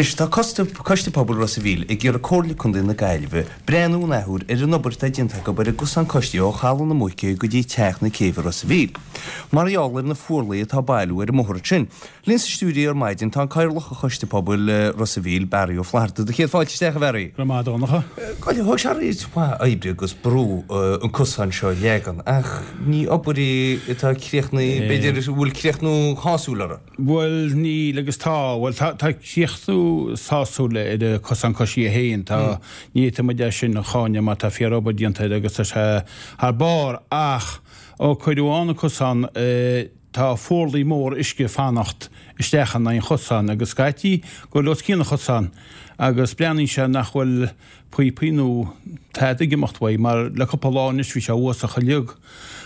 Anois, tá Coiste Pobail Ros a' Mhíl ag iarraidh Comhairle Contae na Gaillimhe breathnú an athuair ar an obair atá déanta acu ar an gcosán coisithe ó Chaladh na Muice go dtí Teach na Céibhe Ros a' Mhíl, mar gheall ar na fuarlaigh atá ag bailiú ar an mbóthar ansin. Linn sa stiúideo ar maidin tá an Cathaoirleach ar Choiste Pobail Ros a' Mhíl, Barry Ó Flatharta. Do chéad fáilte isteach, a Bharry. Go raibh maith agat, a Dhonncha. Thóg sé roinnt mhaith oibre agus brú an cosán seo a leagan, ach ní obair í atá críochnaithe, b'fhéidir, a bhfuil críochnú shásúil uirthi. Bhuel, níl agus tá. Bhuel, tá, tá críochnú sásúil ar an cosán coisithe féin. Tá, ní fhéadfaidh muid é sin a cháineadh mar tá fíor-obair déanta air agus tá sé thar barr ach ó cuireadh ann an cosán, Tá fuarlaigh mór uisce ag fanacht isteach in aghaidh an chosáin agus scaití ag goil os cionn an chosáin agus breathnaíonn sé nach bhfuil píopaí nó tada ag imeacht uaidh mar le cúpla lá anois bhí sé uafásach uilig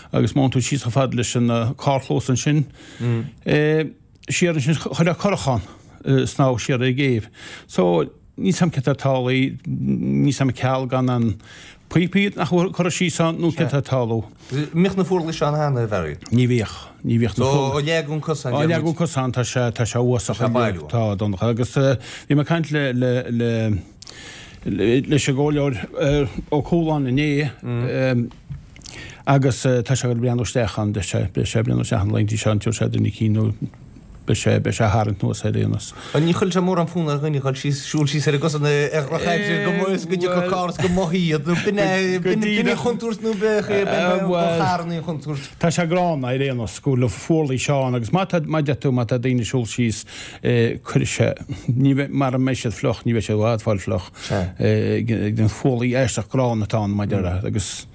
agus má théann tú síos chomh fada leis an carrchlós ansin siar ansin chuirfeá curach ann snámh siar ar an gcéibh. So. Níl 's a'm céard tá ag tarlú, níl 's a'm ceal gan an píopaí nach bhfuil curtha síos ann nó céard tá ag tarlú. Mbíodh na fuarlaigh seo ann cheana, a Bharry? Ní bhíodh, ní bhíodh na fuarlaigh. So, ó leagadh an cosán, Ó leagadh an cosán, tá sé, tá sé uafásach. Tá sé ag bailiú. Tá, a Dhonncha. Agus bhí mé ag caint le, le, le, leis an gcomhairleoir Ó Cualáin inné agus tá sé ag breathnú isteach ann, beidh sé, beidh sé ag breathnú isteach ann na laethanta seo, an dtabharfaidh sé duine eicínt nó Beidh sé, beidh sé á tharraingt anuas ar aon nós. Ní chuirfeadh sé mórán fonn ar dhuine dhul síos, siúl síos ar an gcosán ar dhrochaimsir go mba, go dtiocfadh carr is go mbaidí iad nó b'in é, b'in, b'in an chontúirt nó bheadh, bheadh ba charranna an chontúirt. Tá sé gránna ar aon nós go bhfuil na fuarlaigh seo ann agus má tá, má deir tú, má tá daoine ag siúl síos, cuirfidh sé, ní bheidh, mara mbeidh siad fliuch, ní bheidh siad i bhfad fáil fliuch, ag an fuarlaigh aisteach gránna atá ann, mar a déarfá, agus.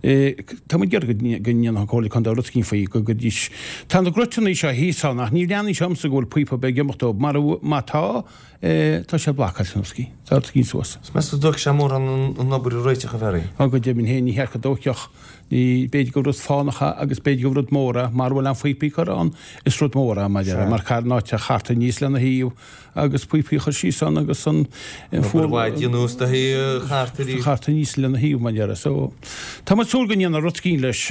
Tá muid ag iarraidh go ndéanfadh an Comhairle Contae rud eicínt faoi, go gcuiridís. Tá na gruiteanna seo thíos ann ach ní bhreathnaíonn sé dhomsa go bhfuil píopa ar bith ag imeacht dóibh. Mar má tá, tá sé blocáilte nó rud eicínt. Tá rud eicínt suas. Is meas tú dtógfaidh sé mórán an obair a réiteach, a Bharry? Ó, go deimhin féin, ní cheart go dtógfadh. Ní, b'fhéidir gur rud fánach é agus b'fhéidir gur rud mór é. Mara bhfuil aon phíopaí curtha ann, is rud mór é, mar déarfá, mar caithfear an áit a chartadh aníos lena thaobh. agus píopaí a chur síos ann agus an Obair mhaith a dhéanamh is do chartadh arís. chartadh aníos lena thaobh mar déarfá. So, tá muid ag súil go ndéanfar rud eicínt leis.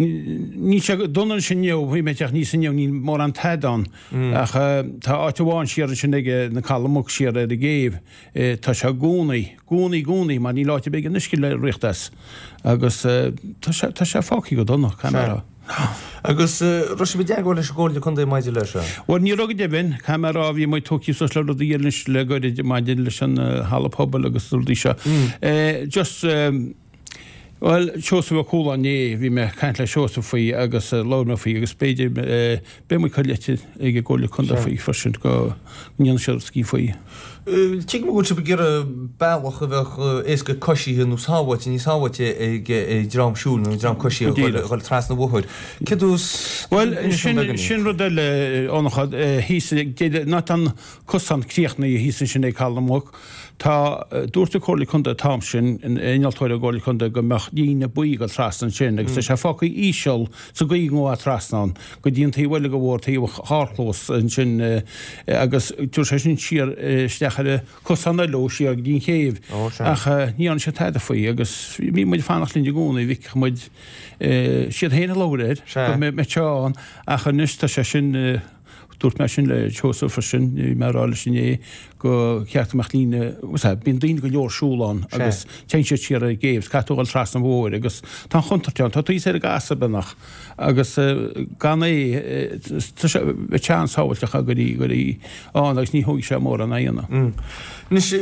Níl sé dona ansin inniu, bhí mé ag teacht aníos inniu, níl mórán tada ann. Ach tá áit amháin siar ansin ag na Caladh Muc siar ar an gcéibh, tá sé i gcónaí, gcónaí, gcónaí mar níl áit ar bith ag an uisce le rith as. Agus tá sé, tá sé fágtha go dona, caithfidh mé a rá. Agus raibh sibh i dteagmháil leis an gComhairle Contae maidir leis seo? Bhuel, ní raibh go deimhin. Caithfidh mé a rá, bhí muid tógtha suas le rudaí eile anois le goirid maidir leis an halla pobail agus na rudaí seo. Just, bhuel, Seosamh Ó Cualáin inné, bhí mé ag caint le Seosamh faoi agus labhair mé faoi agus b'fhéidir, beidh muid ag cur litir ag an gComhairle Contae faoi freisin go ndéanfaidh siad rud eicínt faoi. Tuigim go bhfuil sibh ag iarraidh bealach a bheadh éasca coisithe nó sábháilte, níos sábháilte ag dream siúil nó dream coisithe a dhul trasna an bhóthair. Céard is Bhuel, sin, sin rud eile, a Dhonncha, thíos ag deireadh, ná tá an cosán críochnaithe thíos ansin ag Caladh na Muc. Tá, dúirt an Comhairle Contae an t-am sin, an innealtóir ón gComhairle Contae go mbeadh líne buí ag dul trasna ansin agus tá sé fágtha íseal sa gcaoi go ngabhfá trasna ann go dtí an taobh eile de bhóthar, taobh an charrchlós ansin agus tabharfaidh sé sin siar isteach ar an cosán eile ó siar go dtí an chéibh. Ach ní dhearna siad tada faoi agus bhí muid ag fanacht linn i gcónaí, bhfeicfeadh muid siad féin ag labhairt air go mbeadh sé ann ach anois tá sé sin Dúirt mé sin le Seosamh freisin, bhí mé ag rá leis inné go cheart go mbeadh líne, bíonn daoine go leor siúl ann agus téann siad siar ar an gcéibh, caithfidh tú a dhul trasna an bhóthair agus tá an chontúirt ann, tá tú thíos ar an gcasadh beagnach agus gan é, tá sé, bheadh sé an-sábháilte dá gcuirfí, gcuirfí ann agus ní thógfaidh sé mórán a dhéanamh. Anois,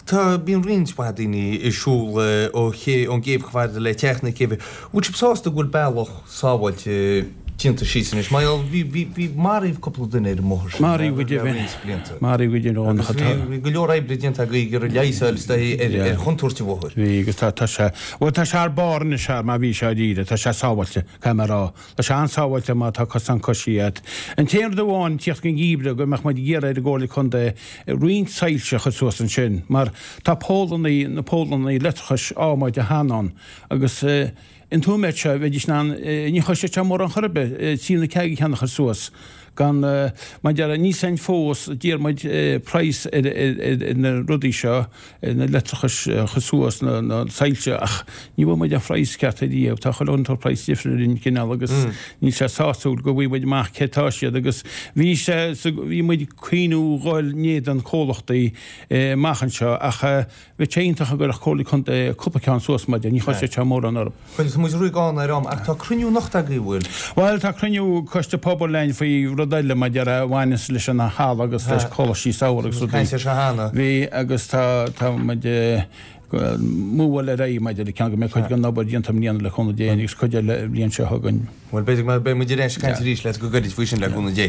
tá, bíonn roinnt mhaith daoine ag siúl ó ché, ón gcéibh chomh fada le teach na céibhe. Bhfuil sibh sásta go bhfuil bealach sábháilte déanta síos anois. Mar gheall, bhí, bhí, bhí, maraíodh cúpla duine ar an mbóthar sin Maraíodh go deimhin. le roinnt blianta. Maraíodh go deimhin Agus bhí, bhí go leor oibre déanta agaibh ag iarraidh leigheas a fháil is dóigh ar, ar chontúirt an bhóthair. Bhí agus tá, tá sé, bhuel tá sé thar barr anois mar bhí sé dáiríre, tá sé sábháilte, caithfidh mé a rá. Tá sé an-sábháilte má tá cosán coisithe agat. An t-aon rud amháin, tíocht den gheimhreadh, go mbeadh muid ag iarraidh ar an gComhairle Contae roinnt soilse a chur suas ansin mar tá pólannaí, na pólannaí leictreachais adhmaid cheana ann agus, An t-ádh seo, bheidís in ann, ní chosnódh sé mórán chor ar bith, trí nó ceathair ceann a chur suas. Gan, mar a déarfá, níl a fhios againn fós, d'iarr muid praghas ar na rudaí seo, na leictreachais a chur suas, na soilse, ach ní bhfuair muid an phraghas ceart ariamh. Tá chuile dhuine ag tabhairt praghas difriúil orainn cineál agus níl sé sásúil go bhfaighidh muid amach cé tá siad agus bhí sé, bhí muid ag cuimhniú dhul in éadan comhlachtaí amach anseo ach Bheadh sé iontach dá gcuirfeadh Comhairle Contae cúpla ceann suas mar ní chosnódh sé mórán orthu. Bhuel, tá muid ró-ghann ar am, ach tá cruinniú anocht agaibh, an bhfuil? Bhuel, tá cruinniú Coiste Pobail againn faoi rud eile mar a déarfá a bhaineas leis an halla agus leis coláistí samhraidh agus rudaí. Caint air seo cheana. Bhí, agus tá, tá muid ag múbháil ar aghaidh maidir le ceann go mbeidh cuid den obair déanta i mbliana le cúnamh Dé agus cuid eile an bhliain seo chugainn. Bhuel, b'fhéidir go mbeidh muid ar ais ag caint arís leat go gairid faoi sin le cúnamh Dé.